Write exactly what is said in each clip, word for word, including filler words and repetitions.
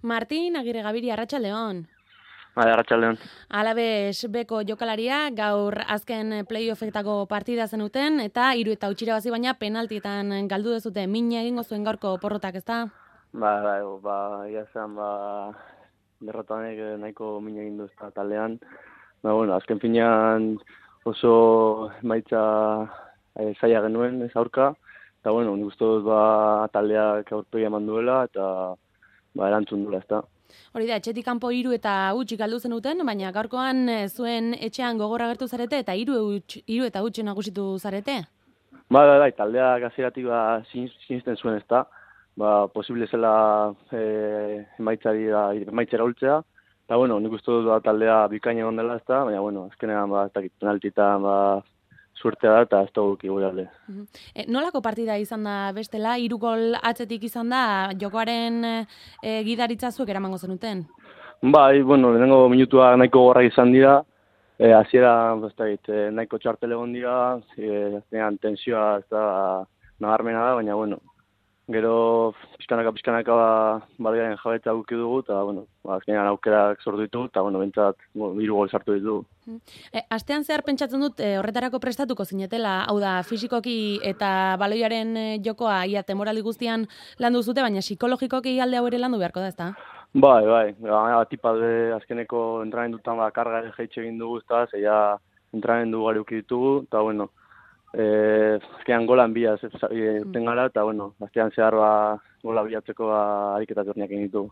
Martin Agirre Gabiri, arratsaldeon. Bai, arratsaldeon. Alabes beko jokalaria gaur azken playoffetako partida zenuten eta hiru eta huts irabazi baina penaltietan galdu duzute. Min egingo zuen gaurko porrotak, ezta? Ba, ba, ba, ia zen, ba, derrotanek nahiko min egin du ezta taldean. Ba, bueno, azken finean oso emaitza e, zaila genuen ez aurka. Eta, bueno, nik uste dut ba, taldeak aurpegia eman duela eta ba, erantzun duela, ezta. Hori da, etxetik kanpo hiru eta huts galdu zenuten, baina gaurkoan zuen etxean gogorra agertu zarete eta hiru hiru eta huts nagusitu zarete? Ba, ba, ba, taldeak hasieratik ba, sinisten zuen, ezta. Ba, posible zela e, emaitzari da, emaitzera ultzea. Eta, bueno, nik uste dut ba, taldea bikaina egon dela, ezta, baina, bueno, azkenean, ba, ez dakit, penaltitan, ba, suertea da, eta ez da guk gure alde. Uh-huh. E, nolako partida izan da bestela, hiru gol atzetik izan da, jokoaren e, gidaritza zuek eramango zenuten? Bai, bueno, lehenengo minutua nahiko gorrak izan dira, e, hasiera, ez dakit, e, nahiko txartel egon dira, e, azkenean tensioa ez da nabarmena da, baina, bueno, gero pizkanaka pizkanaka ba, baliaren jabetza guki dugu, eta, bueno, ba, azkenean aukerak sortu ditugu, eta, bueno, bentsat, hiru gol sartu ditugu. E, astean zehar pentsatzen dut e, horretarako prestatuko zinetela, hau da, fisikoki eta baloiaren e, jokoa ia temorali guztian landu zute, baina psikologikoki alde hau ere landu beharko da, ezta? Bai, bai, ba, tipa de azkeneko entrenamendutan ba, karga ere jaitxe egin dugu, ezta, zeia entrenamendu gari uki ditugu, eta, bueno, Eh, azkenean golan bila eten gara, eta, bueno, azkenean zehar ba, gola bilatzeko ba, ariketak berniak egin ditugu.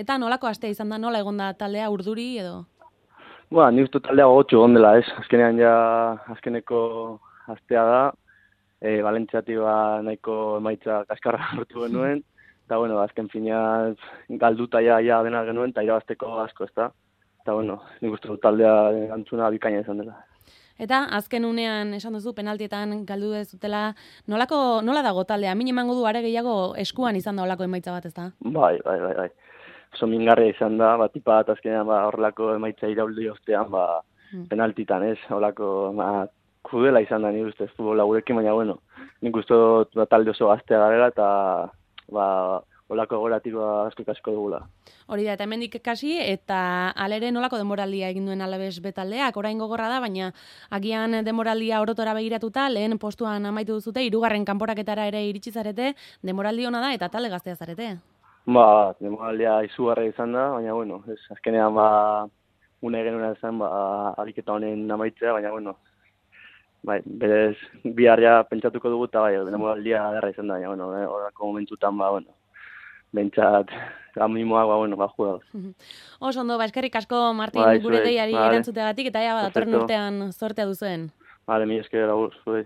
Eta nolako astea izan da, nola egon da taldea urduri edo? Ba, nik uste taldea gogotxu egon dela, ez? Azkenean ja, azkeneko astea da, e, Valentziatik ba, nahiko emaitza kaskarra hartu genuen, eta, bueno, azken finean galduta ja, ja dena genuen, eta irabazteko asko, ez da? Eta, bueno, nik uste taldea antzuna bikaina izan dela. Eta azken unean esan duzu penaltietan galdu dezutela, nolako nola dago taldea? Min emango du are gehiago eskuan izan da holako emaitza bat, ezta? Bai, bai, bai, bai. Oso mingarria izan da, bat tipa bat azkenean ba horrelako emaitza irauldi ostean ba hmm. penaltitan, ez? Holako ba krudela izan da ni ustez futbola gurekin, baina bueno, nik uste dut ba, talde oso gaztea garela eta ba holako goratiko asko asko dugula. Hori da, eta hemendik kasi, eta alere nolako denboraldia egin duen Alabes betaldeak, orain gogorra da, baina agian denboraldia orotora begiratuta, lehen postuan amaitu duzute, hirugarren kanporaketara ere iritsi zarete, denboraldi ona da, eta talde gaztea zarete. Ba, denboraldia izugarra izan da, baina bueno, ez, azkenean ba, une genuen izan, ba, ariketa honen amaitzea, baina bueno, bai, berez, biharria pentsatuko dugu, eta bai, denboraldia derra izan da, baina bueno, horako momentutan, ba, bueno, bentsat, animoak, ba, bueno, ba, jugadoz. Oso ondo, ba, eskerrik asko, Martin, ba, gure deiari vale. Erantzutegatik, eta ja, ba, datorren urtean zortea duzuen. Vale, mi esker, agur, zuei.